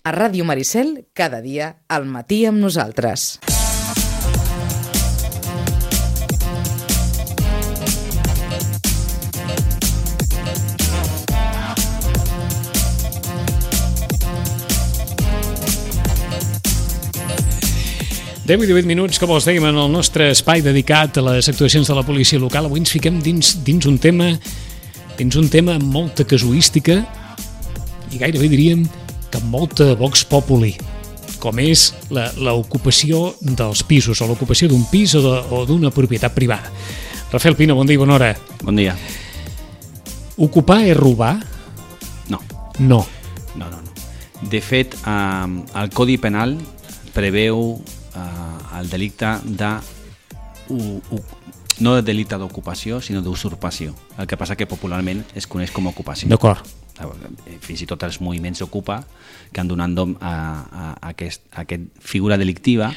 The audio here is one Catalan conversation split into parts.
A Ràdio Maricel, cada dia, al matí amb nosaltres. Deu i 18 minuts, com els dèiem, en el nostre espai dedicat a les actuacions de la policia local. Avui ens fiquem dins un tema amb molta casuística i gairebé diríem que amb molta vox populi, com és l'ocupació dels pisos, o l'ocupació d'un pis o d'una propietat privada. Rafael Pina, bon dia i bona hora. Bon dia. Ocupar és robar? No. No. De fet, el Codi Penal preveu el delicte no de delicte d'ocupació, sinó d'usurpació. El que passa que popularment es coneix com a ocupació. D'acord. Fins i tot els moviments Ocupa que han donat nom a aquesta figura delictiva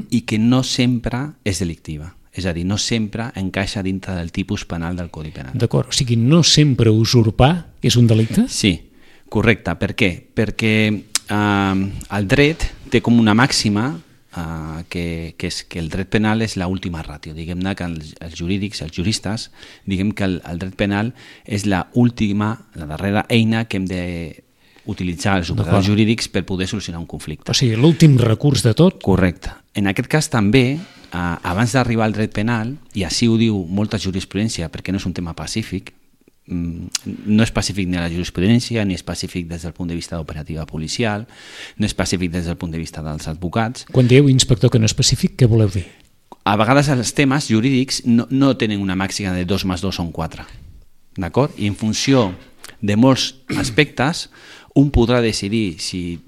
i que no sempre és delictiva. És a dir, no sempre encaixa dintre del tipus penal del Codi Penal. D'acord, o sigui, no sempre usurpar és un delicte? Sí, correcte. Per què? Perquè el dret té com una màxima que és que el dret penal és l'última ràtio. Diguem-ne que els jurídics, els juristes, diguem que el dret penal és la darrera eina que hem d'utilitzar els operadors jurídics per poder solucionar un conflicte. O sigui, l'últim recurs de tot? Correcte. En aquest cas també, abans d'arribar al dret penal, i així ho diu molta jurisprudència perquè no és un tema pacífic, no és pacífic ni a la jurisprudència, ni és pacífic des del punt de vista d'operativa policial, no és pacífic des del punt de vista dels advocats. Quan dieu, inspector, que no és pacífic, què voleu dir? A vegades els temes jurídics no tenen una màxima de 2 més 2 són 4, d'acord? I en funció de molts aspectes, un podrà decidir si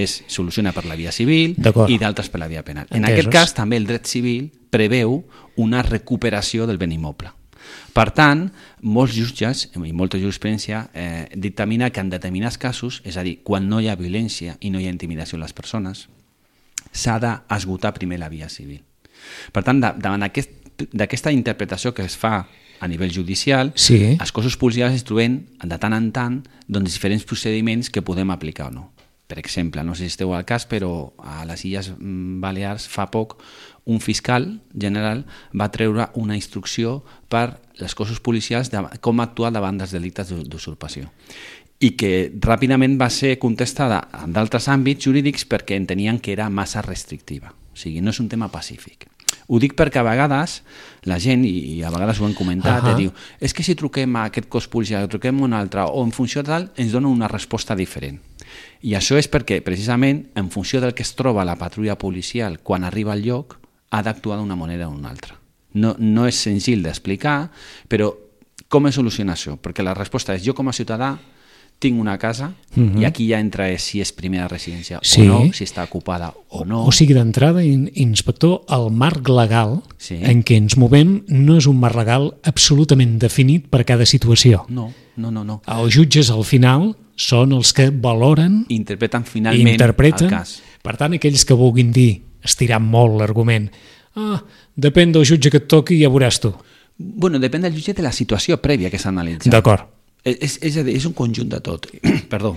es soluciona per la via civil i d'altres per la via penal. En aquest cas, també el dret civil preveu una recuperació del bé immoble. Per tant, molts jutges i molta jurisprudència dictamina que en determinats casos, és a dir, quan no hi ha violència i no hi ha intimidació a les persones, s'ha d'esgotar primer la via civil. Per tant, davant d'aquesta interpretació que es fa a nivell judicial, els cossos policials es troben de tant en tant diferents procediments que podem aplicar o no. Per exemple, no sé si esteu al cas, però a les Illes Balears fa poc un fiscal general va treure una instrucció per als cossos policials de com actuar davant dels delictes d'usurpació i que ràpidament va ser contestada en d'altres àmbits jurídics perquè entenien que era massa restrictiva. O sigui, no és un tema pacífic. Ho dic perquè a vegades la gent, i a vegades ho han comentat, diu, és que si truquem a aquest cos policial, truquem a un altre, o en funció de tal, ens dona una resposta diferent. I això és perquè, precisament, en funció del que es troba la patrulla policial quan arriba al lloc, ha d'actuar d'una manera o d'una altra. No és senzill d'explicar, però com es soluciona això? Perquè la resposta és, jo com a ciutadà tinc una casa i aquí ja entra si és primera residència o no, si està ocupada o no. O sigui, d'entrada, inspector, el marc legal en què ens movem no és un marc legal absolutament definit per cada situació. No. Els jutges, al final, són els que valoren, interpreten finalment el cas. Per tant, aquells que vulguin dir, estirant molt l'argument, depèn del jutge que et toqui i ja veuràs tu. Bueno, depèn del jutge de la situació prèvia que s'ha analitzat. D'acord. És a dir, és un conjunt de tot. Perdó.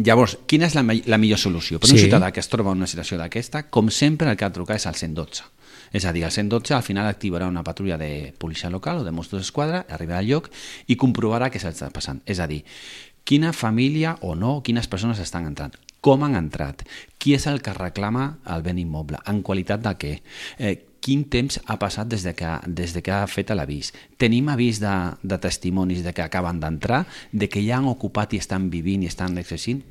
Llavors, quina és la millor solució? Per un ciutadà que es troba en una situació d'aquesta, com sempre el que ha de trucar és al 112. És a dir, el 112 al final activarà una patrulla de policia local o de Mossos d'Esquadra, arribarà al lloc i comprovarà què s'està passant. És a dir, quina família o no, quines persones estan entrant, com han entrat, qui és el que reclama el bé immoble, en qualitat de què, quin temps ha passat des de que ha fet l'avís. Tenim avís de testimonis de que acaben d'entrar, de que ja han ocupat i estan vivint i estan exercint.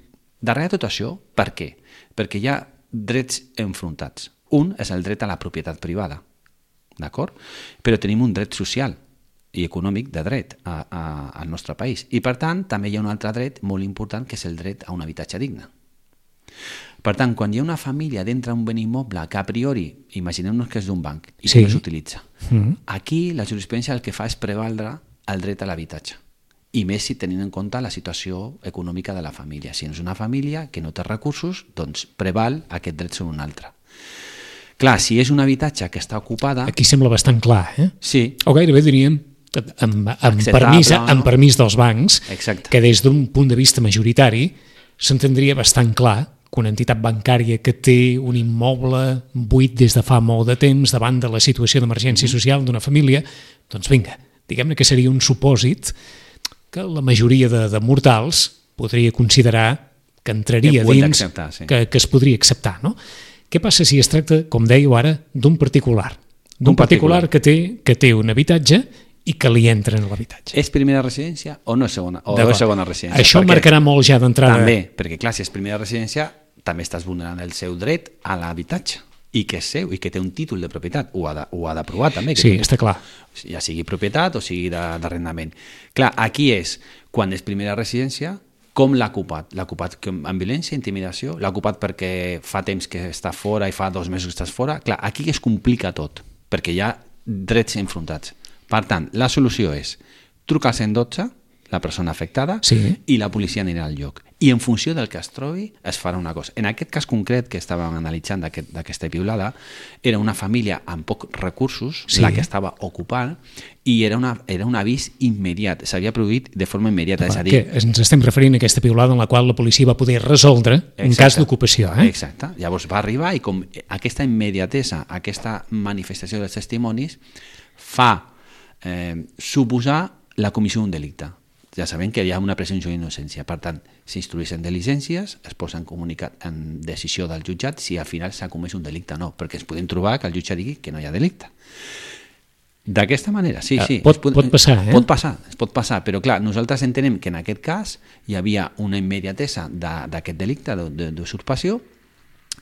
Darrere tot això, per què? Perquè hi ha drets enfrontats. Un és el dret a la propietat privada, d'acord? Però tenim un dret social i econòmic de dret al nostre país. I per tant, també hi ha un altre dret molt important que és el dret a un habitatge digne. Per tant, quan hi ha una família dintre un bé immoble que a priori, imaginem-nos que és d'un banc i que no s'utilitza, aquí la jurisprudència el que fa és prevaldre el dret a l'habitatge. I més si tenint en compte la situació econòmica de la família. Si és una família que no té recursos, doncs preval aquest dret sobre un altre. Clar, si és un habitatge que està ocupada... Aquí sembla bastant clar, Sí. O gairebé diríem, amb permís dels bancs, que des d'un punt de vista majoritari s'entendria bastant clar que una entitat bancària que té un immoble buit des de fa molt de temps davant de la situació d'emergència social d'una família, doncs vinga, diguem-ne que seria un supòsit que la majoria de mortals podria considerar que entraria dins, sí. que es podria acceptar, no? Què passa si es tracta, com dèieu ara, d'un particular? D'un particular que té un habitatge i que li entra en l'habitatge. És primera residència o no és segona, segona residència? Això marcarà molt ja d'entrada. També, perquè clar, si és primera residència, també estàs vulnerant el seu dret a l'habitatge i que és seu i que té un títol de propietat. Ho ha d'aprovar també. Sí, està clar. Ja sigui propietat o sigui d'arrendament. Clar, aquí és, quan és primera residència, com l'ha ocupat? L'ha ocupat amb violència, intimidació? L'ha ocupat perquè fa temps que està fora i fa 2 mesos que estàs fora? Clar, aquí es complica tot, perquè hi ha drets enfrontats. Per tant, la solució és trucar al 112, la persona afectada, i la policia anirà al lloc. I en funció del que es trobi, es farà una cosa. En aquest cas concret que estàvem analitzant d'aquesta piulada, era una família amb pocs recursos, la que estava ocupant, i era un avís immediat. S'havia produït de forma immediata. És a dir, que ens estem referint a aquesta piulada en la qual la policia va poder resoldre en cas d'ocupació. Exacte. Llavors va arribar i com aquesta immediatesa, aquesta manifestació dels testimonis, fa suposar la comissió d'un delicte. Ja sabem que hi ha una presumpció d'innocència. Per tant, s'instrueixen diligències, es posa en comunicat en decisió del jutjat si al final s'ha comès un delicte o no, perquè ens podem trobar que el jutge digui que no hi ha delicte. D'aquesta manera, sí. Pot passar, pot passar, però clar, nosaltres entenem que en aquest cas hi havia una immediatesa d'aquest delicte d'usurpació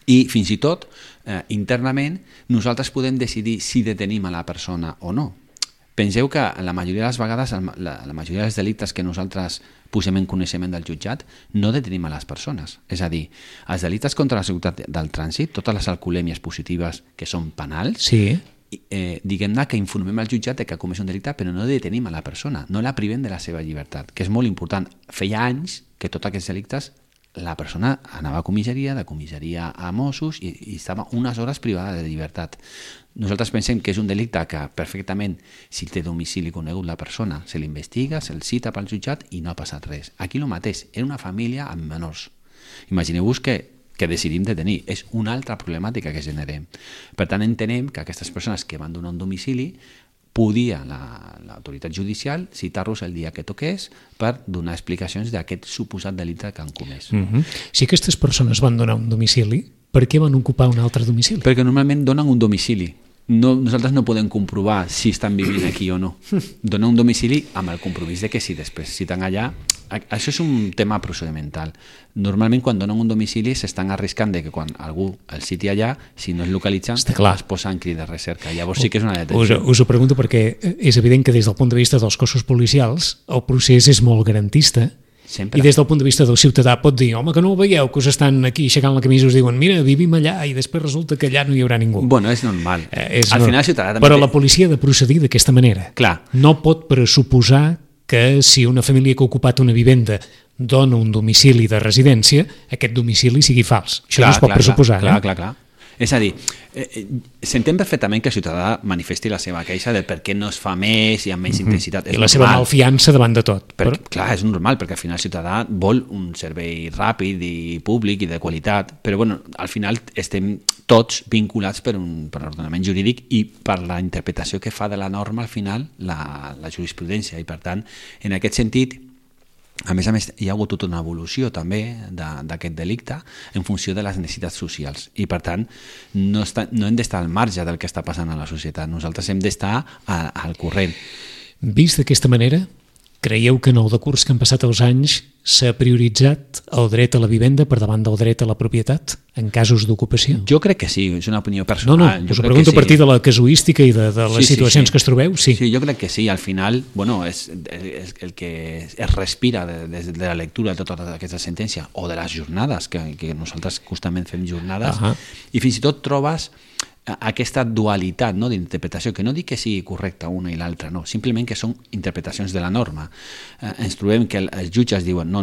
i fins i tot internament nosaltres podem decidir si detenim a la persona o no. Penseu que la majoria de les vegades, la majoria dels delictes que nosaltres posem en coneixement del jutjat, no detenim a les persones. És a dir, els delictes contra la seguretat del trànsit, totes les alcoholèmies positives que són penals, diguem-ne que informem al jutjat que ha comès un delicte, però no detenim a la persona, no la privem de la seva llibertat, que és molt important. Feia anys que tots aquests delictes la persona anava a comissaria, de comissaria a Mossos i estava unes hores privada de llibertat. Nosaltres pensem que és un delicte que perfectament, si té domicili conegut la persona, se l'investiga, se'l cita pel jutjat i no ha passat res. Aquí el mateix, era una família amb menors. Imagineu-vos que decidim detenir. És una altra problemàtica que generem. Per tant, entenem que aquestes persones que van donar un domicili podia l'autoritat judicial citar-los el dia que toqués per donar explicacions d'aquest suposat delicte que han comès. Si aquestes persones van donar un domicili, per què van ocupar un altre domicili? Perquè normalment donen un domicili. Nosaltres no podem comprovar si estan vivint aquí o no. Donen un domicili amb el compromís de que si després citen allà... Això és un tema procedimental. Normalment quan donen un domicili s'estan arriscant de que quan algú el citi allà, si no es localitzen, es posa en crit de recerca. Llavors sí que és una detenció. Us ho pregunto perquè és evident que des del punt de vista dels cossos policials el procés és molt garantista. Sempre. I des del punt de vista del ciutadà pot dir, home, que no ho veieu, que us estan aquí aixecant la camisa i us diuen, mira, vivim allà, i després resulta que allà no hi haurà ningú. Bueno, és normal. Al final el ciutadà també... Però la policia ha de procedir d'aquesta manera. Clar. No pot pressuposar que si una família que ha ocupat una vivenda dona un domicili de residència, aquest domicili sigui fals. Això no es pot pressuposar. Clar. És a dir, s'entén perfectament que el ciutadà manifesti la seva queixa de per què no es fa més i amb menys intensitat. I la seva malfiança davant de tot. Clar, és normal, perquè al final el ciutadà vol un servei ràpid i públic i de qualitat, però bueno, al final estem tots vinculats per l'ordenament jurídic i per la interpretació que fa de la norma al final la jurisprudència, i per tant, en aquest sentit, a més, hi ha hagut tota una evolució també d'aquest delicte en funció de les necessitats socials i per tant no hem d'estar al marge del que està passant a la societat, nosaltres hem d'estar al corrent. Vist d'aquesta manera, creieu que en el decurs que han passat els anys s'ha prioritzat el dret a la vivenda per davant del dret a la propietat en casos d'ocupació? Jo crec que sí, és una opinió personal. No, us ho pregunto a partir de la casuística i de les situacions que es trobeu. Sí, jo crec que sí, al final, bueno, és el que es respira des de la lectura de tota aquesta sentència o de les jornades, que nosaltres justament fem jornades, i fins i tot trobes aquesta dualitat d'interpretació, que no dic que sigui correcta una i l'altra, no, simplement que són interpretacions de la norma. Ens trobem que els jutges diuen no,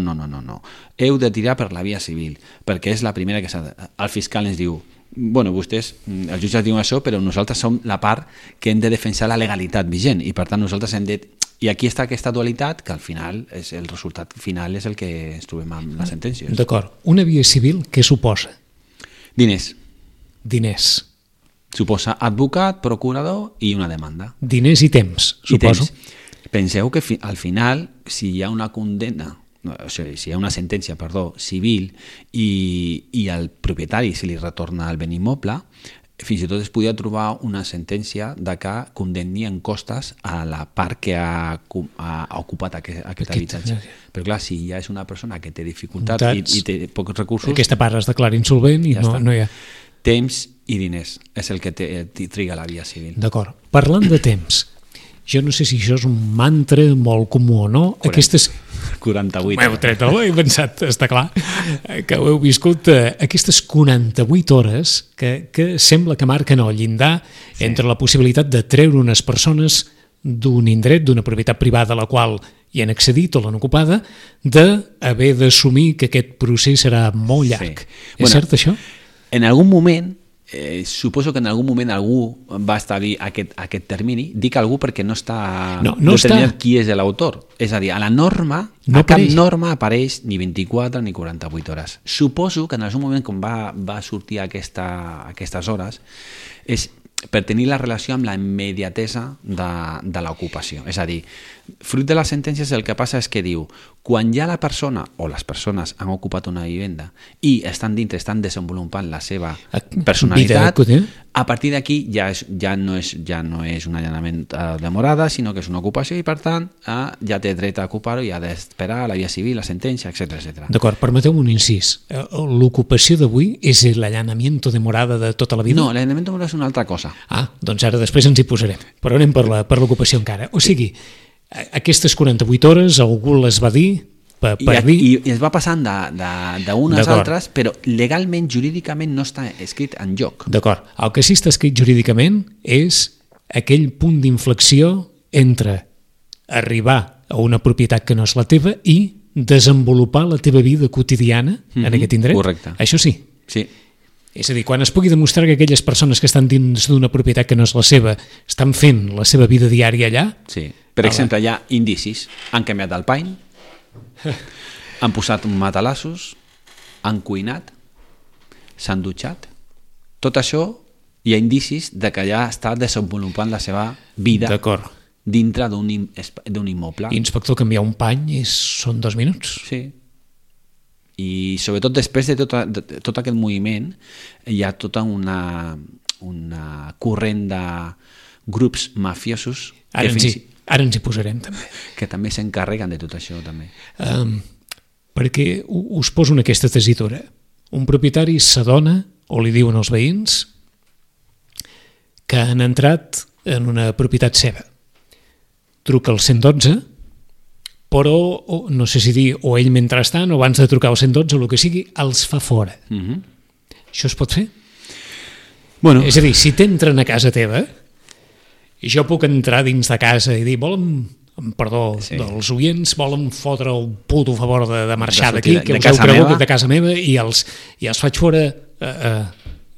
heu de tirar per la via civil, perquè és la primera que s'ha de... El fiscal ens diu, bueno, vostès, els jutges diuen això, però nosaltres som la part que hem de defensar la legalitat vigent i per tant nosaltres hem de I aquí està aquesta dualitat que al final el resultat final és el que ens trobem amb les sentències. D'acord. Una via civil, què suposa? Diners. Suposa advocat, procurador i una demanda. Diners i temps, suposo. Penseu que al final, si hi ha una condemna, si hi ha una sentència, civil, i al propietari se li retorna el bé immoble, fins i tot es podia trobar una sentència de que condemni en costes a la part que ha ocupat aquest habitatge. Però clar, si ja és una persona que té dificultats i té pocs recursos... Aquesta part es declara insolvent i no hi ha... Temps i diners és el que triga la via civil. D'acord. Parlant de temps, jo no sé si això és un mantra molt comú o no. 48. M'heu tret el he pensat, està clar, que ho heu viscut. Aquestes 48 hores que sembla que marquen el llindar entre la possibilitat de treure unes persones d'un indret, d'una propietat privada a la qual hi han accedit o l'han ocupada, d'haver d'assumir que aquest procés serà molt llarg. És cert això? En algun moment, suposo que en algun moment algú va establir aquest termini. Dic algú perquè no està determinat qui és l'autor. És a dir, a la norma, cap norma apareix ni 24 ni 48 hores. Suposo que en algun moment quan va sortir aquestes hores és per tenir la relació amb la immediatesa de l'ocupació. És a dir, fruit de les sentències el que passa és que diu, quan ja la persona o les persones han ocupat una vivenda i estan dintre, estan desenvolupant la seva personalitat, a partir d'aquí ja no és un allanament de morada, sinó que és una ocupació i per tant ja té dret a ocupar-ho i ha d'esperar la via civil, la sentència, etc. D'acord, permeteu-me un incís. L'ocupació d'avui és l'allanament de morada de tota la vida? No, l'allanament de morada és una altra cosa. Doncs ara després ens hi posarem, però anem per l'ocupació encara. O sigui, aquestes 48 hores algú les va dir per dir... I es va passant d'unes altres, però legalment, jurídicament no està escrit en lloc. D'acord. El que sí està escrit jurídicament és aquell punt d'inflexió entre arribar a una propietat que no és la teva i desenvolupar la teva vida quotidiana en aquest indret. Correcte. Això sí? Sí. És a dir, quan es pugui demostrar que aquelles persones que estan dins d'una propietat que no és la seva estan fent la seva vida diària allà... Sí. Per exemple, hi ha indicis. Han canviat el pany, han posat matalassos, han cuinat, s'han dutxat. Tot això hi ha indicis de que ja està desenvolupant la seva vida dintre d'un immoble. Inspector, canviar un pany són 2 minuts. Sí. I sobretot després de tot aquest moviment hi ha tota una corrent de grups mafiosos Ara ens hi posarem també. Que també s'encarreguen de tot això també. Perquè us poso en aquesta tessitura. Un propietari s'adona, o li diuen els veïns, que han entrat en una propietat seva. Truca al 112, però no sé si dir o ell mentrestant o abans de trucar al 112 o el que sigui, els fa fora. Això es pot fer? Bueno. És a dir, si t'entren a casa teva i jo puc entrar dins de casa i dir, perdó, dels oients, volen fotre el puto favor de marxar d'aquí, que us heu cregut de casa meva i els faig fora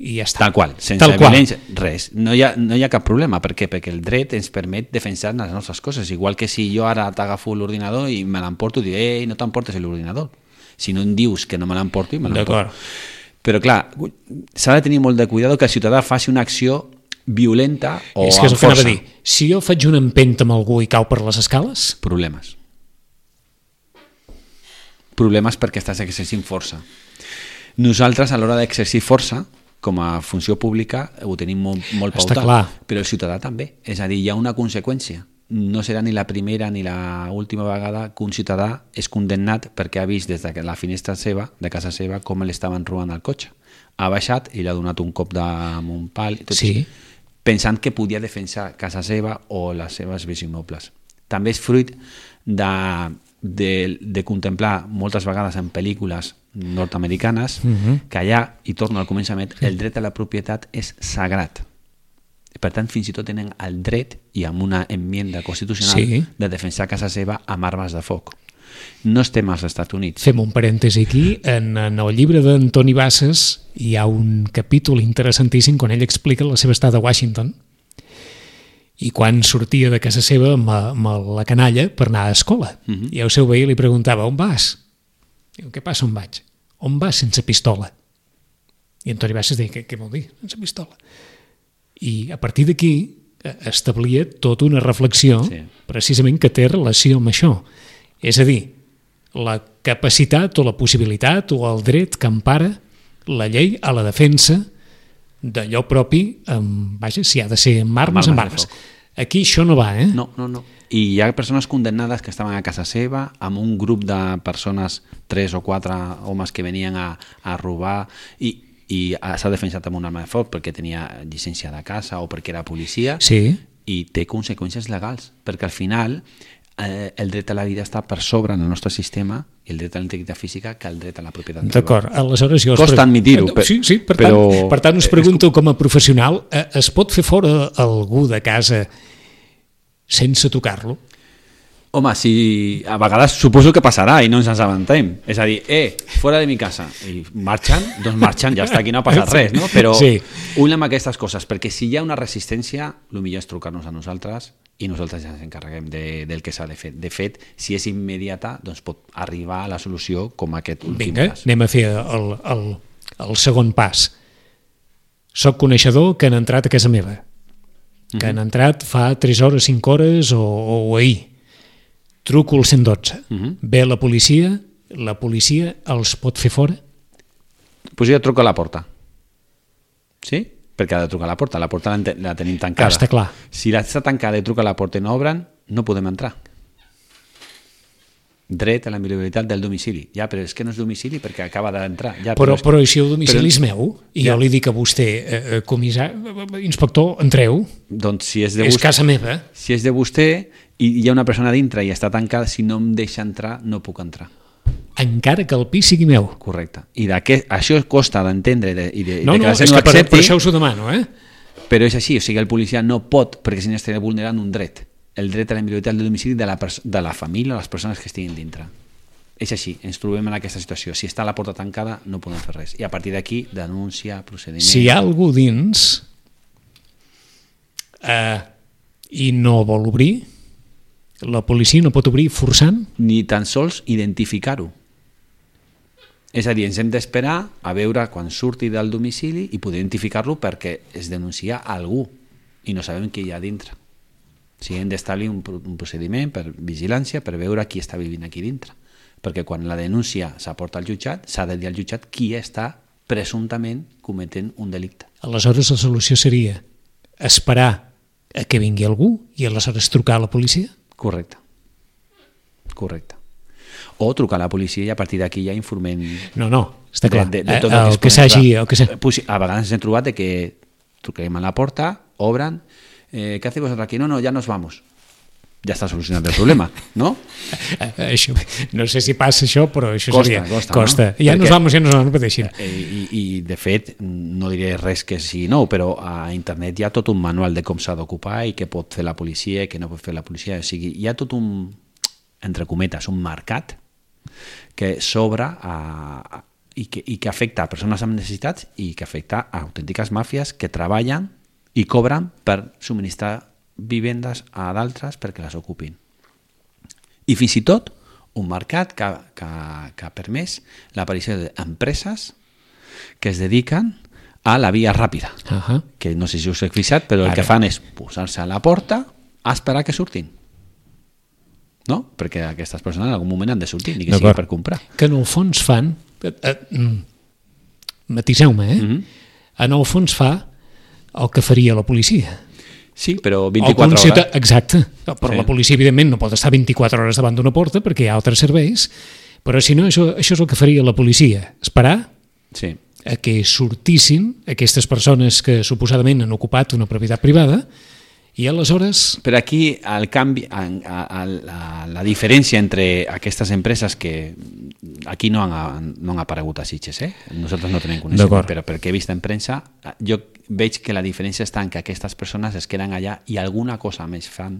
i ja està. Tal qual, sense violència, res. No hi ha cap problema. Per què? Perquè el dret ens permet defensar les nostres coses. Igual que si jo ara t'agafo l'ordinador i me l'emporto i dic, no t'emportes l'ordinador. Si no em dius que no me l'emporto, me l'emporto. Però clar, s'ha de tenir molt de cuidado que el ciutadà faci una acció violenta o amb força. És que és el que anava a dir. Si jo faig una empenta amb algú i cau per les escales... Problemes perquè estàs exercint força. Nosaltres, a l'hora d'exercir força, com a funció pública, ho tenim molt pautat. Però el ciutadà també. És a dir, hi ha una conseqüència. No serà ni la primera ni l'última vegada que un ciutadà és condemnat perquè ha vist des de la finestra seva, de casa seva, com l'estaven robant el cotxe. Ha baixat i li ha donat un cop amb un pal. Pensant que podia defensar casa seva o les seves béns immobles. També és fruit de contemplar moltes vegades en pel·lícules nord-americanes que allà, i torno al començament, el dret a la propietat és sagrat. Per tant, fins i tot tenen el dret, i amb una enmienda constitucional, de defensar casa seva amb armes de foc. No estem als Estats Units. Fem un parèntesi aquí. En el llibre d'Antoni Bassas hi ha un capítol interessantíssim quan ell explica la seva estada a Washington i quan sortia de casa seva amb la canalla per anar a escola. I el seu veí li preguntava, on vas? Diu, què passa, on vaig? On vas sense pistola? I Antoni Bassas deia, què vol dir, sense pistola? I a partir d'aquí establia tota una reflexió precisament que té relació amb això. És a dir, la capacitat o la possibilitat o el dret que empara la llei a la defensa d'allò propi, vaja, si ha de ser amb armes, amb armes. Aquí això no va, No. I hi ha persones condemnades que estaven a casa seva amb un grup de persones, 3 o 4 homes que venien a robar i s'ha defensat amb una arma de foc perquè tenia llicència de casa o perquè era policia i té conseqüències legals, perquè al final el dret a la vida està per sobre en el nostre sistema i el dret a la integritat física que el dret a la propietat privada. D'acord, aleshores jo... Costa admitir-ho. Sí, per tant us pregunto com a professional, es pot fer fora algú de casa sense tocar-lo? Home, si a vegades suposo que passarà i no ens assabentem. És a dir, fora de mi casa. I marxen, doncs marxen, ja està, aquí no ha passat res, no? Però ull amb aquestes coses, perquè si hi ha una resistència, el millor és trucar-nos a nosaltres i nosaltres ja ens encarreguem del que s'ha de fer. De fet, si és immediata, doncs pot arribar a la solució com aquest últim cas. Anem a fer el segon pas. Soc coneixedor que han entrat a casa meva, que han entrat fa 3 hores, 5 hores o ahir. Truco al 112. Ve la policia els pot fer fora? Pues jo truco a la porta. Sí? Perquè ha de trucar a la porta la tenim tancada. Està clar. Si està tancada i truca a la porta i no obren, no podem entrar. Dret a la inviolabilitat del domicili. Ja, però és que no és domicili perquè acaba d'entrar. Ja, però si el domicili és meu i jo li dic a vostè, inspector, entreu, doncs si és casa meva. Si és de vostè i hi ha una persona dintre i està tancada, si no em deixa entrar, no puc entrar. Encara que el pis sigui meu. Correcte. I això costa d'entendre i de no, és que per això us ho demano, Però és així, o sigui, el policia no pot, perquè si no estaria vulnerant un dret. El dret a la inviolabilitat del domicili de la família o les persones que estiguin dintre. És així, ens trobem en aquesta situació. Si està la porta tancada, no podem fer res. I a partir d'aquí, denúncia, procediment... Si hi ha algú dins i no vol obrir, la policia no pot obrir forçant? Ni tan sols identificar-ho. És a dir, ens hem d'esperar a veure quan surti del domicili i poder identificar-lo perquè es denuncia algú i no sabem què hi ha dintre. O sigui, hem d'establir un procediment per vigilància per veure qui està vivint aquí dintre. Perquè quan la denúncia s'aporta al jutjat, s'ha de dir al jutjat qui està presumptament cometent un delicte. Aleshores la solució seria esperar a que vingui algú i aleshores trucar a la policia? Correcte. O trucar a la policia i a partir d'aquí ja informem... No, està clar. De tot el que s'hagi... A vegades ens hem trobat que truquem a la porta, obren, ¿qué hacéis vosotros aquí? No, ya nos vamos. Ja està solucionat el problema, no? Això, no sé si passa això, però això costa. No? Ja nos vamos, no pateixin. I de fet, no diré res que sigui nou, però a internet hi ha tot un manual de com s'ha d'ocupar i què pot fer la policia i què no pot fer la policia. O sigui, hi ha tot un, entre cometes, un mercat que s'obre i que afecta a persones amb necessitats i que afecta a autèntiques màfies que treballen i cobren per subministrar vivendes a d'altres perquè les ocupin. I fins i tot un mercat que ha permès l'aparició d'empreses que es dediquen a la via ràpida, que no sé si us he fixat, però el que fan és posar-se a la porta a esperar que surtin. No? Perquè aquestes persones en algun moment han de sortir, ni que sigui per comprar. Que en el fons fan, matiseu-me, en el fons fa el que faria la policia. Sí, però 24 hores. Exacte, però la policia evidentment no pot estar 24 hores davant d'una porta perquè hi ha altres serveis, però si no, això és el que faria la policia, esperar a que sortissin aquestes persones que suposadament han ocupat una propietat privada i aleshores... Però aquí el canvi, la diferència entre aquestes empreses que aquí no han aparegut a Sitges, nosaltres no tenim coneixement, però perquè he vist en premsa, jo veig que la diferència està en que aquestes persones es queden allà i alguna cosa més fan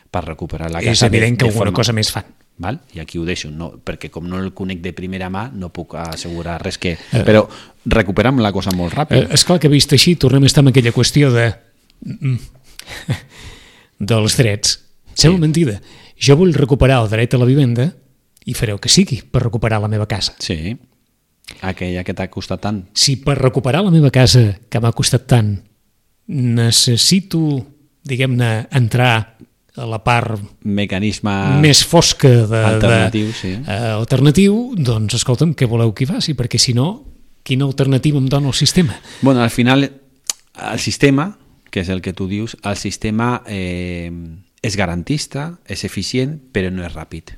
per recuperar la casa. És evident que alguna cosa més fan. Val? I aquí ho deixo, no, perquè com no el conec de primera mà no puc assegurar res que... Però recuperem la cosa molt ràpid. És clar que vist així tornem a estar en aquella qüestió dels drets. Sembla mentida. Jo vull recuperar el dret a la vivenda i faré el que sigui per recuperar la meva casa. Sí, aquella que t'ha costat tant. Si per recuperar la meva casa, que m'ha costat tant, necessito, diguem-ne, entrar a la part Mecanisme més fosca alternatiu, doncs escolta'm, què voleu que hi faci? Perquè si no, quina alternativa em dona el sistema? Bueno, al final, el sistema, que és el que tu dius, el sistema és garantista, és eficient, però no és ràpid.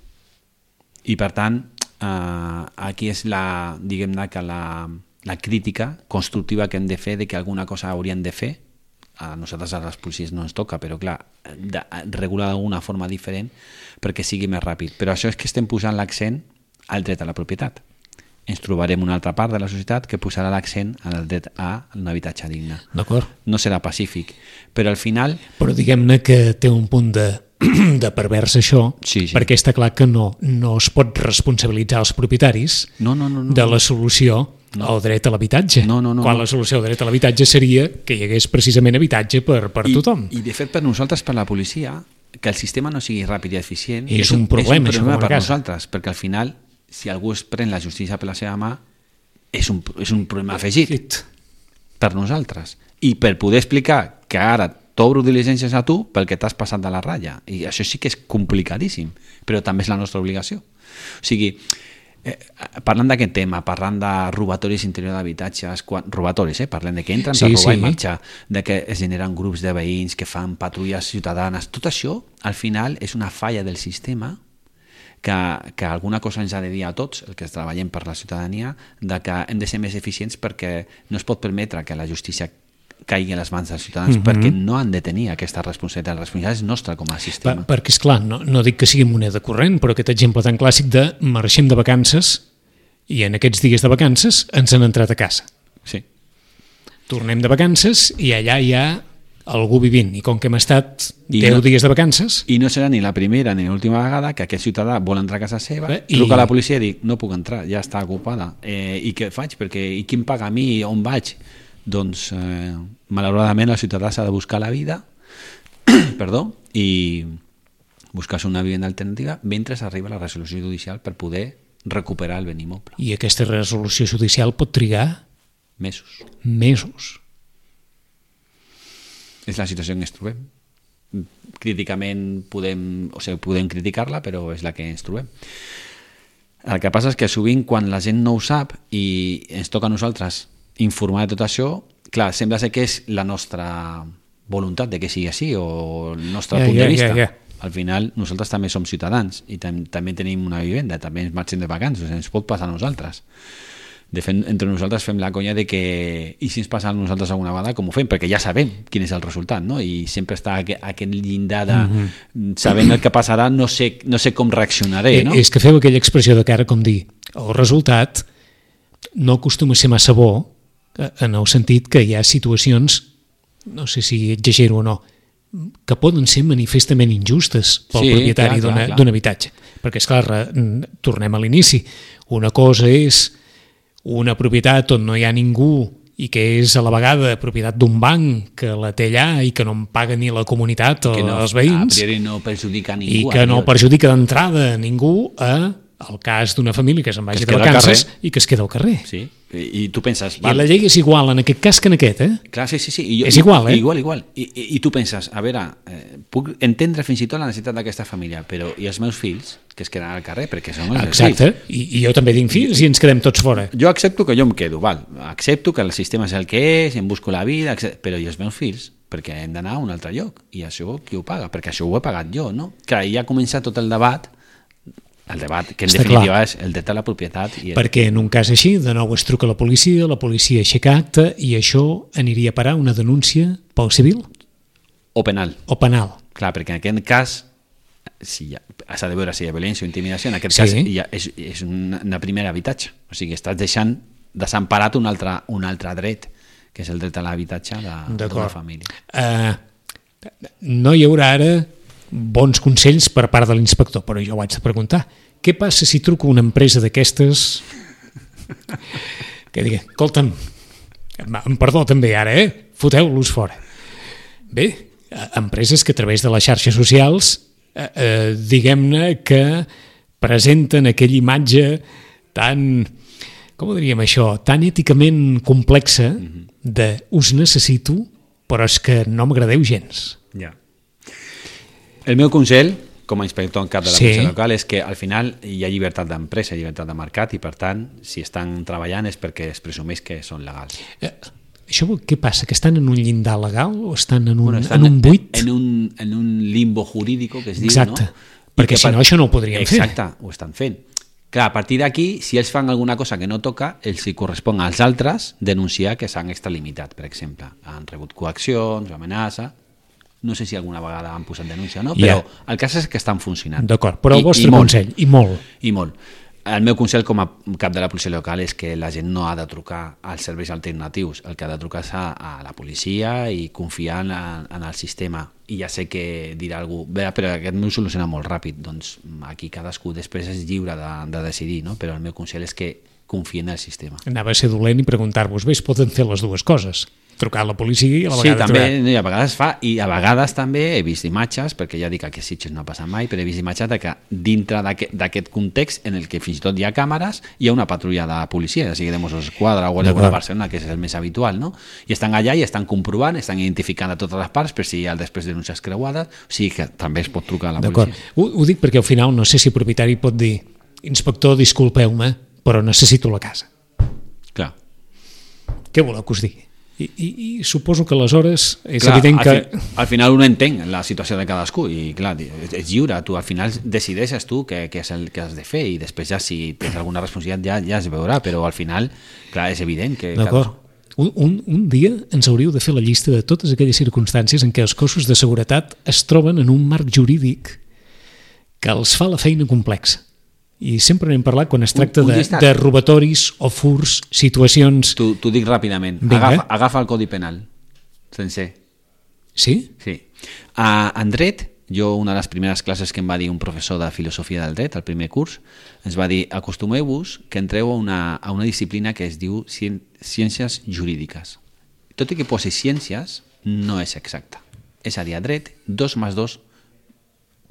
I per tant, aquí és diguem-ne que la crítica constructiva que hem de fer de que alguna cosa hauríem de fer. A nosaltres, a les policies, no ens toca, però clar, regular d'alguna forma diferent perquè sigui més ràpid. Però això és que estem posant l'accent al dret a la propietat. Ens trobarem una altra part de la societat que posarà l'accent al dret a un habitatge digne. D'acord. No serà pacífic, però al final... Però diguem-ne que té un punt de pervers això, sí. perquè està clar que no es pot responsabilitzar els propietaris de la solució al dret a l'habitatge. Quan la solució al dret a l'habitatge seria que hi hagués precisament habitatge per tothom. I de fet per nosaltres, per la policia, que el sistema no sigui ràpid i eficient és un problema per nosaltres, perquè al final, si algú es pren la justícia per la seva mà, és un problema afegit per nosaltres. I per poder explicar que ara t'obro diligències a tu perquè t'has passat de la ratlla. I això sí que és complicadíssim, però també és la nostra obligació. O sigui, parlant d'aquest tema, parlant de robatoris interior d'habitatges, robatoris, parlem de que entren per robar i marxar, de que es generen grups de veïns que fan patrulles ciutadanes, tot això al final és una falla del sistema que alguna cosa ens ha de dir a tots, el que treballem per la ciutadania, de que hem de ser més eficients perquè no es pot permetre que la justícia caigui a les mans dels ciutadans, perquè no han de tenir aquesta responsabilitat. La responsabilitat és nostra com a sistema. Perquè, esclar, no dic que sigui moneda corrent, però aquest exemple tan clàssic de marxem de vacances i en aquests dies de vacances ens han entrat a casa. Sí. Tornem de vacances i allà hi ha algú vivint, i com que hem estat 10 dies de vacances... I no serà ni la primera ni l'última vegada que aquest ciutadà vol entrar a casa seva, truca a la policia i diu, no puc entrar, ja està ocupada. I què faig? I qui em paga a mi? On vaig? Doncs, malauradament, el ciutadà s'ha de buscar la vida i buscar-se una vivenda alternativa mentre arriba la resolució judicial per poder recuperar el bé immoble. I aquesta resolució judicial pot trigar? Mesos. És la situació en què ens trobem. Críticament podem criticar-la, però és la que ens trobem. El que passa és que sovint quan la gent no ho sap i ens toca a nosaltres informar de tot això, clar, sembla ser que és la nostra voluntat de que sigui així o el nostre punt de vista. Al final nosaltres també som ciutadans i també tenim una vivenda, també ens marxem de vacances, ens pot passar a nosaltres. De fet, entre nosaltres fem la conya de que i si ens passa a nosaltres alguna vegada, com ho fem? Perquè ja sabem quin és el resultat, no? I sempre està aquest llindar de sabent el que passarà, no sé com reaccionaré, no? És que feu aquella expressió de cara com dir el resultat no acostuma a ser massa bo, en el sentit que hi ha situacions, no sé si exagero o no, que poden ser manifestament injustes pel propietari d'un habitatge. Perquè, esclar, tornem a l'inici. Una cosa és una propietat on no hi ha ningú i que és a la vegada propietat d'un banc que la té allà i que no en paga ni la comunitat als veïns, a priori no perjudica a ningú, i que no perjudica d'entrada a ningú, el cas d'una família que se'n vagi de vacances i que es queda al carrer. Sí, i tu penses... I la llei és igual en aquest cas que en aquest, Clar, sí. És igual, Igual. I tu penses, a veure, puc entendre fins i tot la necessitat d'aquesta família, però i els meus fills, que es quedaran al carrer, perquè són els meus fills. Exacte, i jo també tinc fills i ens quedem tots fora. Jo accepto que jo em quedo, accepto que el sistema és el que és, em busco la vida, però i els meus fills? Perquè hem d'anar a un altre lloc, i això qui ho paga? Perquè això ho he pagat jo, no? Clar, ja ha començat tot el debat que en definitiva és el dret a la propietat. Perquè en un cas així, de nou es truca a la policia aixeca acte i això aniria a parar una denúncia pel civil? O penal. Clar, perquè en aquest cas s'ha de veure si hi ha violència o intimidació, en aquest cas és un primer habitatge, o sigui, estàs deixant desemparat un altre dret, que és el dret a l'habitatge d'una família. No hi haurà ara bons consells per part de l'inspector, però jo ho haig de preguntar. Què passa si truco a una empresa d'aquestes que digui, escolta'm, perdó també ara, foteu-los fora. Bé, empreses que a través de les xarxes socials diguem-ne que presenten aquella imatge tan, com ho diríem això, tan èticament complexa de us necessito, però és que no m'agradeu gens. Ja. El meu consell, com a inspector en cap de la policia local, és que al final hi ha llibertat d'empresa, llibertat de mercat, i per tant, si estan treballant és perquè es presumeix que són legals. Això què passa? Que estan en un llindar legal o estan en un buit? En un limbo jurídico, que es diu, exacte, no? Perquè si no això no ho podrien fer. Exacte, ho estan fent. Clar, a partir d'aquí, si ells fan alguna cosa que no toca, els hi correspon als altres denunciar que s'han extralimitat, per exemple. Han rebut coaccions, amenaça. No sé si alguna vegada han posat denúncia o no, però el cas és que estan funcionant. D'acord, però el vostre consell, i molt. I molt. El meu consell com a cap de la policia local és que la gent no ha de trucar als serveis alternatius, el que ha de trucar és a la policia i confiar en el sistema. I ja sé que dirà algú, bé, però aquest m'ho soluciona molt ràpid, doncs aquí cadascú després és lliure de decidir, no? Però el meu consell és que confien en el sistema. Anava a ser dolent i preguntar-vos, bé, es poden fer les dues coses, trucar a la policia i a la vegada també, a vegades fa, i a vegades també he vist imatges, perquè ja dic que a Sitges no ha passat mai, però he vist imatges que dintre d'aquest context en el que fins i tot hi ha càmeres, hi ha una patrulla de policia, ja sigui de Mossos d'Esquadra o de Barcelona, que és el més habitual, no? I estan allà i estan comprovant, estan identificant a totes les parts per si hi ha després denúncies creuades, o sigui que també es pot trucar a la policia. Ho dic perquè al final no sé si el propietari pot dir, inspector, disculpeu-me, però necessito la casa. Clar. Què voleu que us digui? I suposo que aleshores és evident que... Al final un entén la situació de cadascú i clar, és lliure, tu al final decideixes tu què és el que has de fer i després ja si tens alguna responsabilitat ja es veurà, però al final, clar, és evident que... D'acord. Un dia ens hauríeu de fer la llista de totes aquelles circumstàncies en què els cossos de seguretat es troben en un marc jurídic que els fa la feina complexa. I sempre n'hem parlat quan es tracta de robatoris o furs, situacions... T'ho dic ràpidament. Agafa el Codi Penal, sencer. Sí? Sí. En dret, una de les primeres classes que em va dir un professor de filosofia del dret, al primer curs, ens va dir, acostumeu-vos que entreu a una disciplina que es diu ciències jurídiques. Tot i que posi ciències, no és exacta. És a dir, a dret, 2 més 2,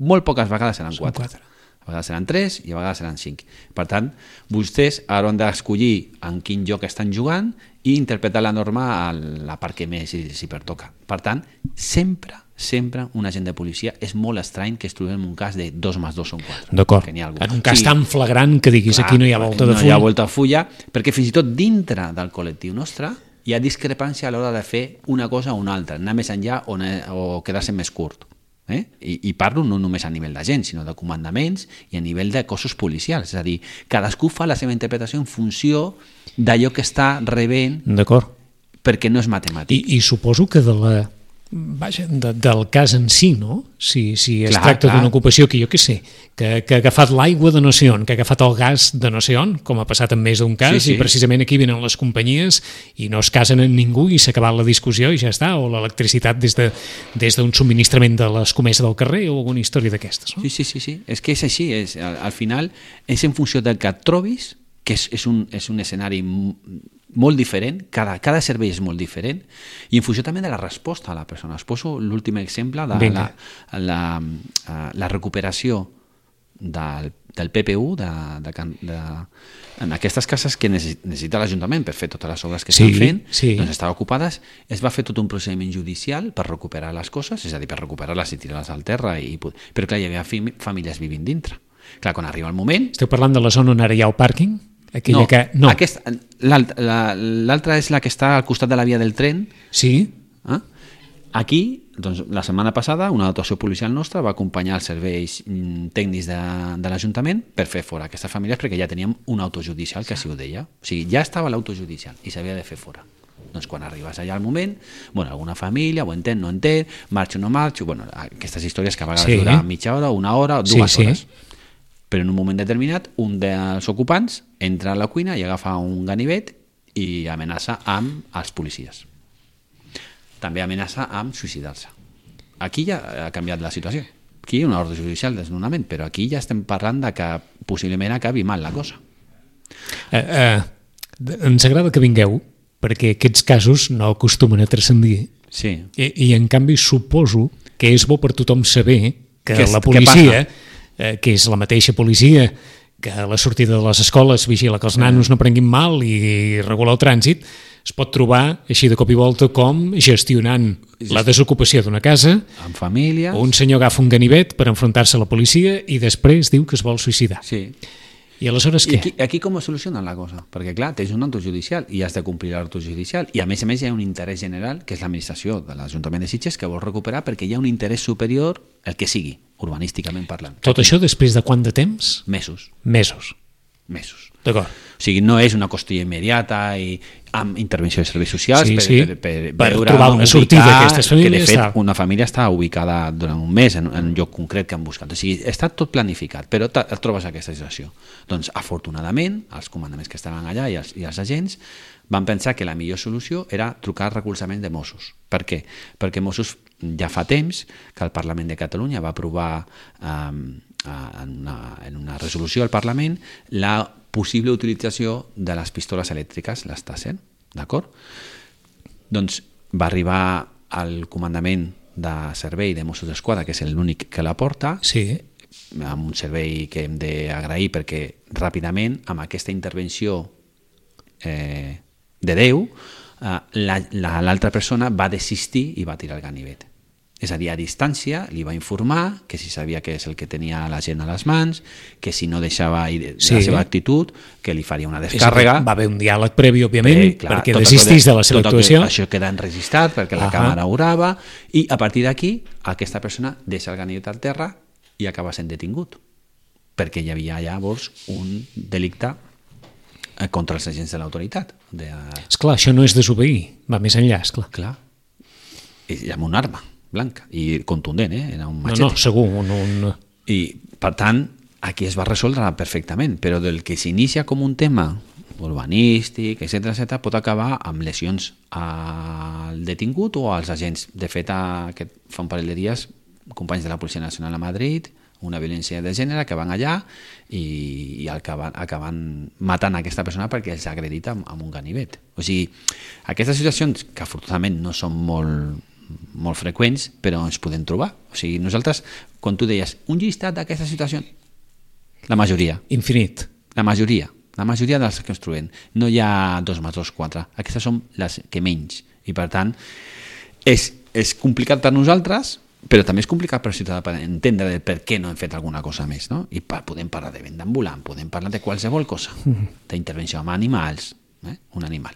molt poques vegades seran 4. A vegades seran 3 i a vegades seran 5. Per tant, vostès hauran d'escollir en quin joc estan jugant i interpretar la norma a la part que més s'hi pertoca. Per tant, sempre un agent de policia és molt estrany que es trobem en un cas de 2 més 2 són 4. D'acord. En un cas tan flagrant que diguis aquí no hi ha volta de fulla. No hi ha volta de fulla, perquè fins i tot dintre del col·lectiu nostre hi ha discrepància a l'hora de fer una cosa o una altra, anar més enllà o quedar-se més curt. I parlo no només a nivell de gent, sinó de comandaments i a nivell de cossos policials. És a dir, cadascú fa la seva interpretació en funció d'allò que està rebent, perquè no és matemàtic. I suposo que del cas en si, no? Si es tracta d'una ocupació que jo què sé, que ha agafat l'aigua de no sé on, que ha agafat el gas de no sé on, com ha passat en més d'un cas, i precisament aquí venen les companyies i no es casen amb ningú i s'ha acabat la discussió i ja està, o l'electricitat des d'un subministrament de l'escomesa del carrer o alguna història d'aquestes. No? Sí, és que és així, al final és en funció del que et trobis, que és un escenari molt diferent, cada servei és molt diferent, i en funció també de la resposta a la persona. Es poso l'últim exemple de la recuperació del PPU en aquestes cases que necessita l'Ajuntament per fer totes les obres que estan fent, doncs estaven ocupades, es va fer tot un procediment judicial per recuperar les coses, és a dir, per recuperar-les i tirar-les al terra, però clar, hi havia famílies vivint dintre. Clar, quan arriba el moment... Esteu parlant de la zona on ara hi ha el pàrquing? No. L'altra és la que està al costat de la via del tren. Sí. Aquí, doncs, la setmana passada, una dotació policial nostra va acompanyar els serveis tècnics de l'Ajuntament per fer fora aquestes famílies, perquè ja teníem un autojudicial que així ho deia. O sigui, ja estava l'autojudicial i s'havia de fer fora. Doncs quan arribes allà al moment, alguna família ho entén, no entén, marxo o no marxo, aquestes històries que a vegades dura mitja hora, una hora o 2 hores. Però en un moment determinat, un dels ocupants entra a la cuina i agafa un ganivet i amenaça amb els policies. També amenaça amb suïcidar-se. Aquí ja ha canviat la situació. Aquí hi ha una ordre judicial de desnonament, però aquí ja estem parlant de que possiblement acabi mal la cosa. Ens agrada que vingueu, perquè aquests casos no acostumen a transcendir Sí. I en canvi suposo que és bo per tothom saber que Què la passa? policia, que és la mateixa policia que a la sortida de les escoles vigila que els nanos no prenguin mal i regula el trànsit, es pot trobar així de cop i volta com gestionant la desocupació d'una casa, Amb famílies. un senyor agafa un ganivet per enfrontar-se a la policia i després diu que es vol suïcidar. Sí. I aleshores I què? aquí com es soluciona la cosa? Perquè, clar, tens un acte judicial i has de complir l'acte judicial i, a més, hi ha un interès general, que és l'administració de l'Ajuntament de Sitges, que vol recuperar perquè hi ha un interès superior, el que sigui, urbanísticament parlant. Tot això després de quant de temps? Mesos. Mesos. D'acord. O sigui, no és una qüestió immediata i amb intervenció de serveis socials per veure trobar una sortida a aquestes famílies. Que, de fet, una família està ubicada durant un mes en un lloc concret que han buscat. O sigui, està tot planificat, però et trobes aquesta situació. Doncs, afortunadament, els comandaments que estaven allà i els agents van pensar que la millor solució era trucar al recolzament de Mossos. Per què? Perquè Mossos ja fa temps que el Parlament de Catalunya va aprovar en una resolució al Parlament la possible utilització de les pistoles elèctriques, les Taser, d'acord? Doncs va arribar al comandament de servei de Mossos d'Esquadra, que és l'únic que la porta, Sí. amb un servei que hem d'agrair perquè ràpidament, amb aquesta intervenció de Déu, l'altra persona va desistir i va tirar el ganivet. És a dir, a distància li va informar que si sabia que és el que tenia la gent a les mans, que si no deixava la seva actitud, que li faria una descàrrega. Va haver un diàleg previ, òbviament, Clar, perquè desistís de la seva actuació. Això queda enregistrat perquè la càmera ho grava i a partir d'aquí aquesta persona deixa el ganivet al terra i acaba sent detingut perquè hi havia llavors un delicte contra els agents de l'autoritat. Esclar, això no és desobeir, va més enllà, esclar. Clar. I amb una arma blanca i contundent, era un machete. No, segur. I, per tant, aquí es va resoldre perfectament, però del que s'inicia com un tema urbanístic, etc., pot acabar amb lesions al detingut o als agents. De fet, fa un parell de dies, companys de la Policia Nacional a Madrid, una violència de gènere, que van allà i acaben matant aquesta persona perquè els ha agredit amb un ganivet. O sigui, aquestes situacions, que afortunadament no són molt freqüents, però ens podem trobar. O sigui, nosaltres, quan tu deies un llistat d'aquestes situacions, la majoria. Infinit. La majoria de les que ens trobem. No hi ha 2 més 2, 4. Aquestes són les que menys. I, per tant, és complicat per nosaltres, però també és complicat per al ciutadà per entendre per què no hem fet alguna cosa més, no? I podem parlar de venda ambulant, podem parlar de qualsevol cosa, d'intervenció amb animals, un animal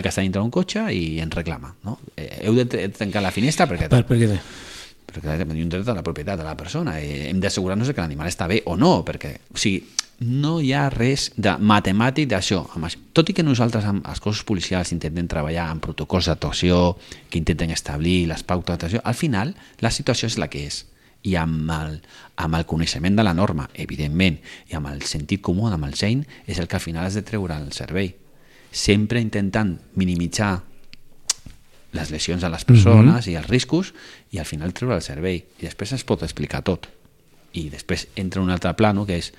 que està dintre d'un cotxe i ens reclama, no? Heu de tancar la finestra perquè tenim un dret a la propietat de la persona, hem d'assegurar-nos que l'animal està bé o no, perquè, o sigui, no hi ha res de matemàtic d'això. Tot i que nosaltres amb els cossos policials intentem treballar amb protocols d'actuació que intenten establir les pautes d'actuació, al final la situació és la que és. I amb el coneixement de la norma, evidentment, i amb el sentit comú, amb el seny, és el que al final has de treure al servei. Sempre intentant minimitzar les lesions a les persones i els riscos i al final treure el servei. I després es pot explicar tot. I després entra un altre plano que és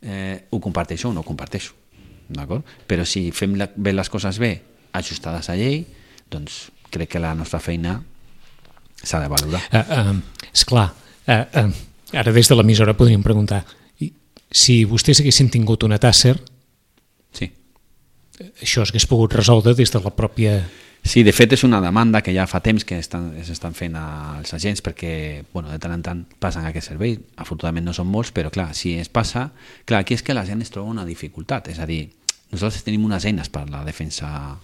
ho comparteixo o no ho comparteixo, d'acord? Però si fem bé les coses bé, ajustades a llei, doncs crec que la nostra feina s'ha de valorar. Esclar, ara des de l'emissora podríem preguntar, si vostès haguessin tingut una Taser, sí, això s'hagués pogut resoldre des de la pròpia... Sí, de fet és una demanda que ja fa temps que s'estan fent als agents perquè de tant en tant passen aquest servei, afortunadament no són molts, però clar, si es passa, clar, aquí és que la gent es troba una dificultat, és a dir, nosaltres tenim unes eines per la defensa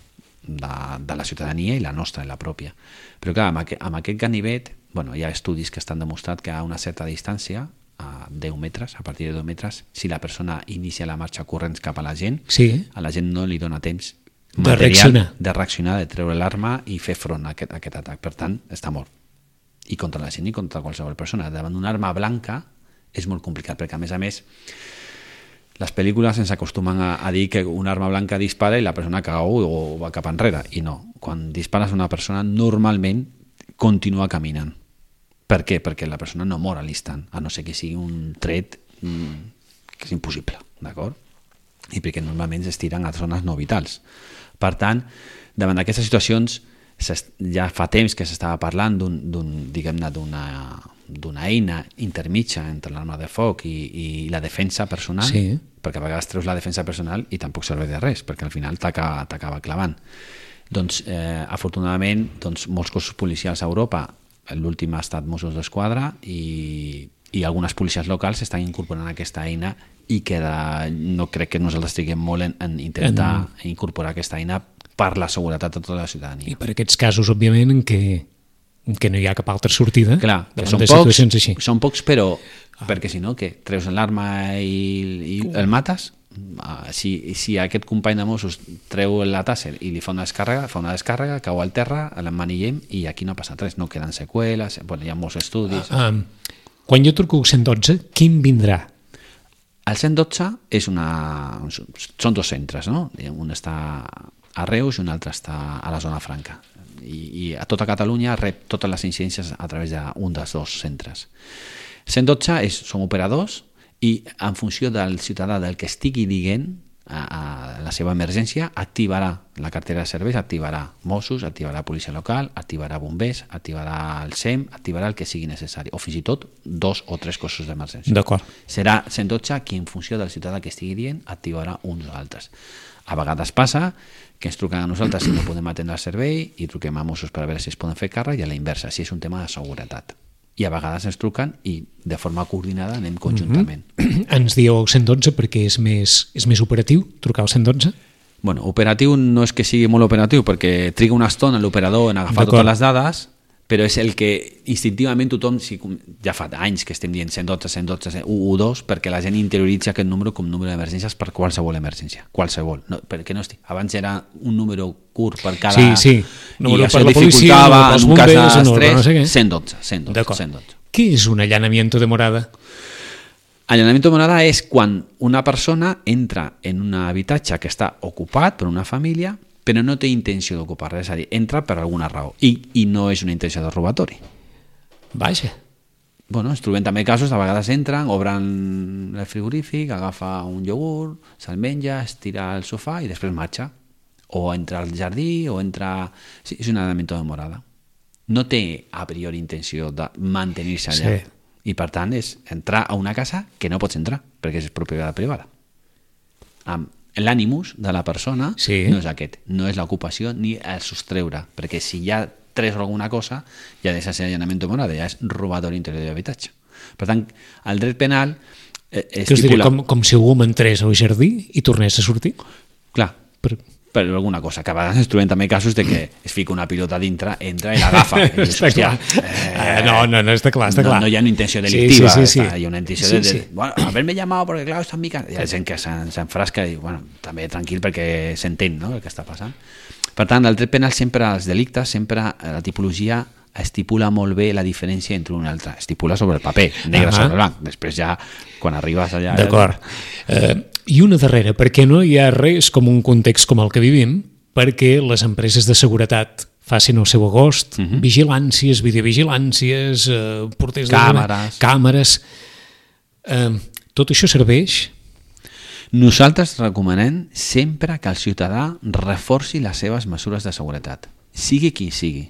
de la ciutadania i la nostra, la pròpia, però clar, amb aquest ganivet, hi ha estudis que estan demostrat que a una certa distància, a 10 metres, a partir de 10 metres, si la persona inicia la marxa corrents cap a la gent, a la gent no li dona temps de reaccionar, de treure l'arma i fer front a aquest atac. Per tant, està mort. I contra la gent i contra qualsevol persona. Davant d'una arma blanca és molt complicat, perquè a més, les pel·lícules ens acostumen a dir que una arma blanca dispara i la persona cau o va cap enrere. I no. Quan dispares a una persona, normalment continua caminant. Per què? Perquè la persona no mor a l'instant, a no ser que sigui un tret que és impossible, d'acord? I perquè normalment es tiren a zones no vitals. Per tant, davant d'aquestes situacions, ja fa temps que s'estava parlant diguem-ne, d'una eina intermitja entre l'arma de foc i la defensa personal, Sí. perquè a vegades treus la defensa personal i tampoc serveix de res, perquè al final t'acaba clavant. Doncs, afortunadament, molts cossos policials a Europa, l'últim ha estat Mossos d'Esquadra i algunes policies locals estan incorporant aquesta eina i no crec que nosaltres estiguem molt en intentar incorporar aquesta eina per la seguretat de tota la ciutadania. I per aquests casos, òbviament, en què no hi ha cap altra sortida. Clar, que davant de situacions així. són pocs, però perquè si no, què? Treus l'arma i el mates? Si aquest company de Mossos treu la tàsser i li fa una descàrrega, cau al terra, l'emmanillem i aquí no ha passat res, no queden seqüeles, hi ha molts estudis. Quan jo truco al 112, quin vindrà? El 112 són dos centres, no? Un està a Reus i un altre està a la zona franca. I a tota Catalunya rep totes les incidències a través d'un dels dos centres. 112 són operadors i en funció del ciutadà del que estigui dient a la seva emergència, activarà la cartera de serveis, activarà Mossos, activarà policia local, activarà bombers, activarà el SEM, activarà el que sigui necessari, o fins i tot 2 o 3 cossos d'emergència. D'acord. Serà 112 qui en funció del ciutadà que estigui dient activarà uns o altres. A vegades passa que ens truquen a nosaltres si no podem atendre el servei i truquem a Mossos per a veure si es poden fer càrrec, i a la inversa, si és un tema de seguretat. I a vegades ens truquen i de forma coordinada anem conjuntament. Ens dieu el 112 perquè és més operatiu, trucar al 112? Bueno, operatiu no és que sigui molt operatiu, perquè triga una estona l'operador en agafar totes les dades, però és el que instintivament tothom, ja fa anys que estem dient 112, 112, 112, perquè la gent interioritza aquest número com número d'emergències per qualsevol emergència, qualsevol. No, perquè no estic. Abans era un número curt per cada... Sí. Número i això per la policia, dificultava pels en un cas bombers, d'estrès, no sé què. 112. Què és un allanamiento de morada? Allanamiento de morada és quan una persona entra en un habitatge que està ocupat per una família, però no té intenció d'ocupar res, és a dir, entra per alguna raó i no és una intenció de robatori. Vaja. Bueno, ens trobem també casos, a vegades entren, obren el frigorífic, agafa un iogurt, se'l menja, es tira al sofà i després marxa. O entra al jardí, o entra... Sí, és un allanamiento de morada. No té a priori intenció de mantenir-se allà. Sí. I per tant és entrar a una casa que no pots entrar, perquè és propietat privada. L'ànimus de la persona no és aquest, no és l'ocupació ni el sostreure, perquè si ja treus alguna cosa ja deixa de ser allanamiento de morada, ja és robatori interior d'habitatge. Per tant, el dret penal estipula... Com si algú m'entrés al jardí i tornés a sortir? Clar, per alguna cosa, que a vegades ens trobem també casos de que es fica una pilota dintre, entra i l'agafa. Està clar. No, està clar. No hi ha una intenció delictiva, sí. Hi ha una intenció de bueno, haberme llamado porque claro, está en mi casa. Hi ha gent que s'enfrasca i bueno, també tranquil perquè s'entén, no?, el que està passant. Per tant, el dret penal sempre, els delictes, sempre la tipologia estipula molt bé la diferència entre un i altre. Estipula sobre el paper, negre sobre blanc. Després ja, quan arribes allà... D'acord. I una darrera, perquè no hi ha res com un context com el que vivim, perquè les empreses de seguretat facin el seu agost, vigilàncies, videovigilàncies, porters càmeres... Tot això serveix? Nosaltres recomanem sempre que el ciutadà reforci les seves mesures de seguretat, sigui qui sigui.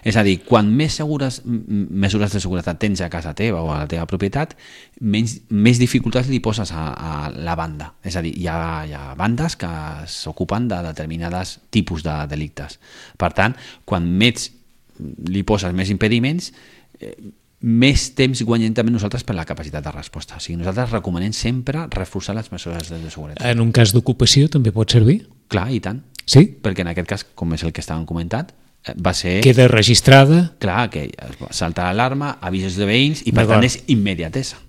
És a dir, quan més mesures de seguretat tens a casa teva o a la teva propietat, més dificultats li poses a la banda. És a dir, hi ha bandes que s'ocupen de determinats tipus de delictes. Per tant, quan més li poses més impediments, més temps guanyem també nosaltres per la capacitat de resposta. O sigui, nosaltres recomanem sempre reforçar les mesures de seguretat. En un cas d'ocupació també pot servir? Clar, i tant. Sí? Perquè en aquest cas, com és el que estàvem comentant, va ser... Queda registrada? Clar, que salta l'alarma, avisos de veïns i per tant és immediatesa.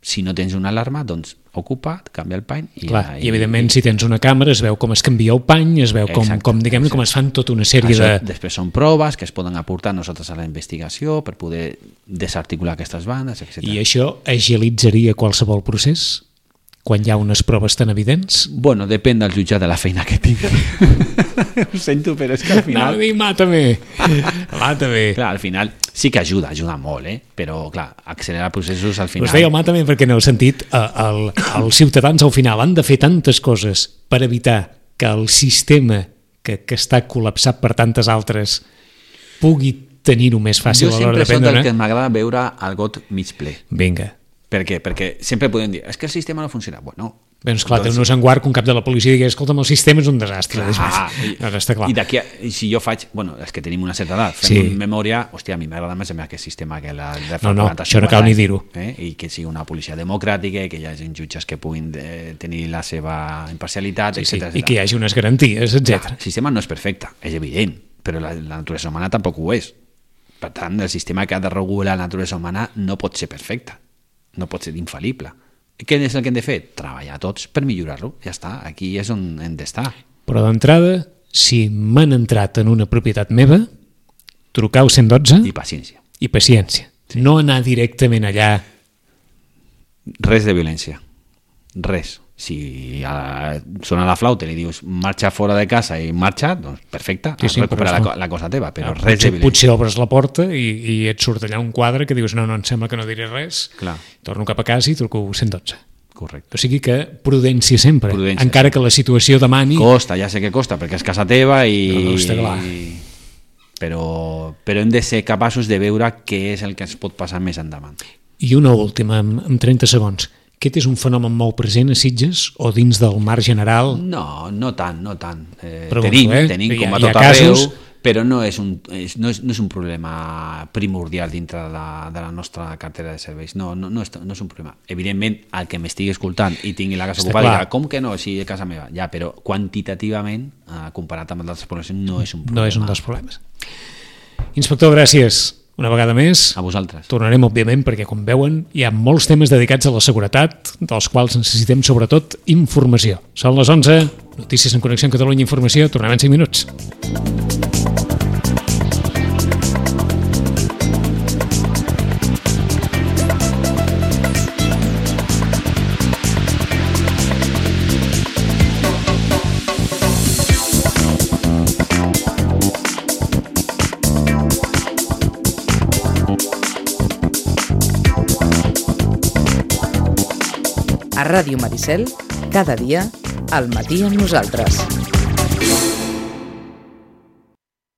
Si no tens una alarma, doncs ocupa, canvia el pany... Clar, i evidentment si tens una càmera es veu com es canvia el pany, es veu com es fan tota una sèrie de... Després són proves que es poden aportar nosaltres a la investigació per poder desarticular aquestes bandes, etc. I això agilitzaria qualsevol procés? Quan hi ha unes proves tan evidents? Bueno, depèn del jutjat de la feina que tinc. Ho sento, però és que al final... No, dic, mata-me. Clar, al final sí que ajuda molt, però clar, accelerar processos al final... Us deia mata-me perquè en el sentit, els ciutadans al final han de fer tantes coses per evitar que el sistema que està col·lapsat per tantes altres pugui tenir-ho més fàcil Jo a l'hora sempre de soc prendre del que m'agrada veure el got mig ple. Vinga. Per què? Perquè sempre podem dir, és que el sistema no funciona. Bueno, Bé, esclar, té un guard que un cap de la policia digui, escolta'm, el sistema és un desastre. Clar, està clar. I d'aquí, si jo faig, bueno, és que tenim una certa edat, fem memòria, hòstia, a mi m'agrada més aquest sistema que la de fa 40 això no cal ni dir-ho. I que sigui una policia democràtica, i que hi hagi jutges que puguin tenir la seva imparcialitat, etc. I que hi hagi unes garanties, etc. El sistema no és perfecte, és evident, però la naturalesa humana tampoc ho és. Per tant, el sistema que ha de regular la naturalesa humana no pot ser perfecte, no pot ser infal·lible. Què és el que hem de fer? Treballar tots per millorar-lo. Ja està, aquí és on hem d'estar. Però d'entrada, si m'han entrat en una propietat meva, trucar al 112 I paciència. I paciència. Sí. No anar directament allà. Res de violència. Res. Si sona la flauta i li dius marxa fora de casa i marxa, doncs perfecte, recupera la cosa teva, però res de violència. Potser obres la porta i et surt allà un quadre que dius no, em sembla que no diré res. Clar. Torno cap a casa i truco 112. Correcte. O sigui que prudència sempre, encara que la situació demani... Costa, ja sé que costa, perquè és casa teva i... No, està clar. Però hem de ser capaços de veure què és el que ens pot passar més endavant. I una última, en 30 segons. Aquest és un fenomen molt present a Sitges o dins del mar general? No, no tant. Pregunto, tenim com a tot arreu, però no és un problema primordial dintre de la nostra cartera de serveis. No és un problema. Evidentment, el que m'estigui escoltant i tingui la casa ocupada dirà, com que no, si és casa meva? Ja, però quantitativament, comparat amb altres poblacions, no és un problema. No és un dels problemes. Inspector, gràcies. Una vegada més, a vosaltres. Tornarem, òbviament, perquè, com veuen, hi ha molts temes dedicats a la seguretat, dels quals necessitem, sobretot, informació. Són les 11, notícies en Connexió amb Catalunya Informació, tornem en 5 minuts. A Ràdio Maricel, cada dia, al matí amb nosaltres.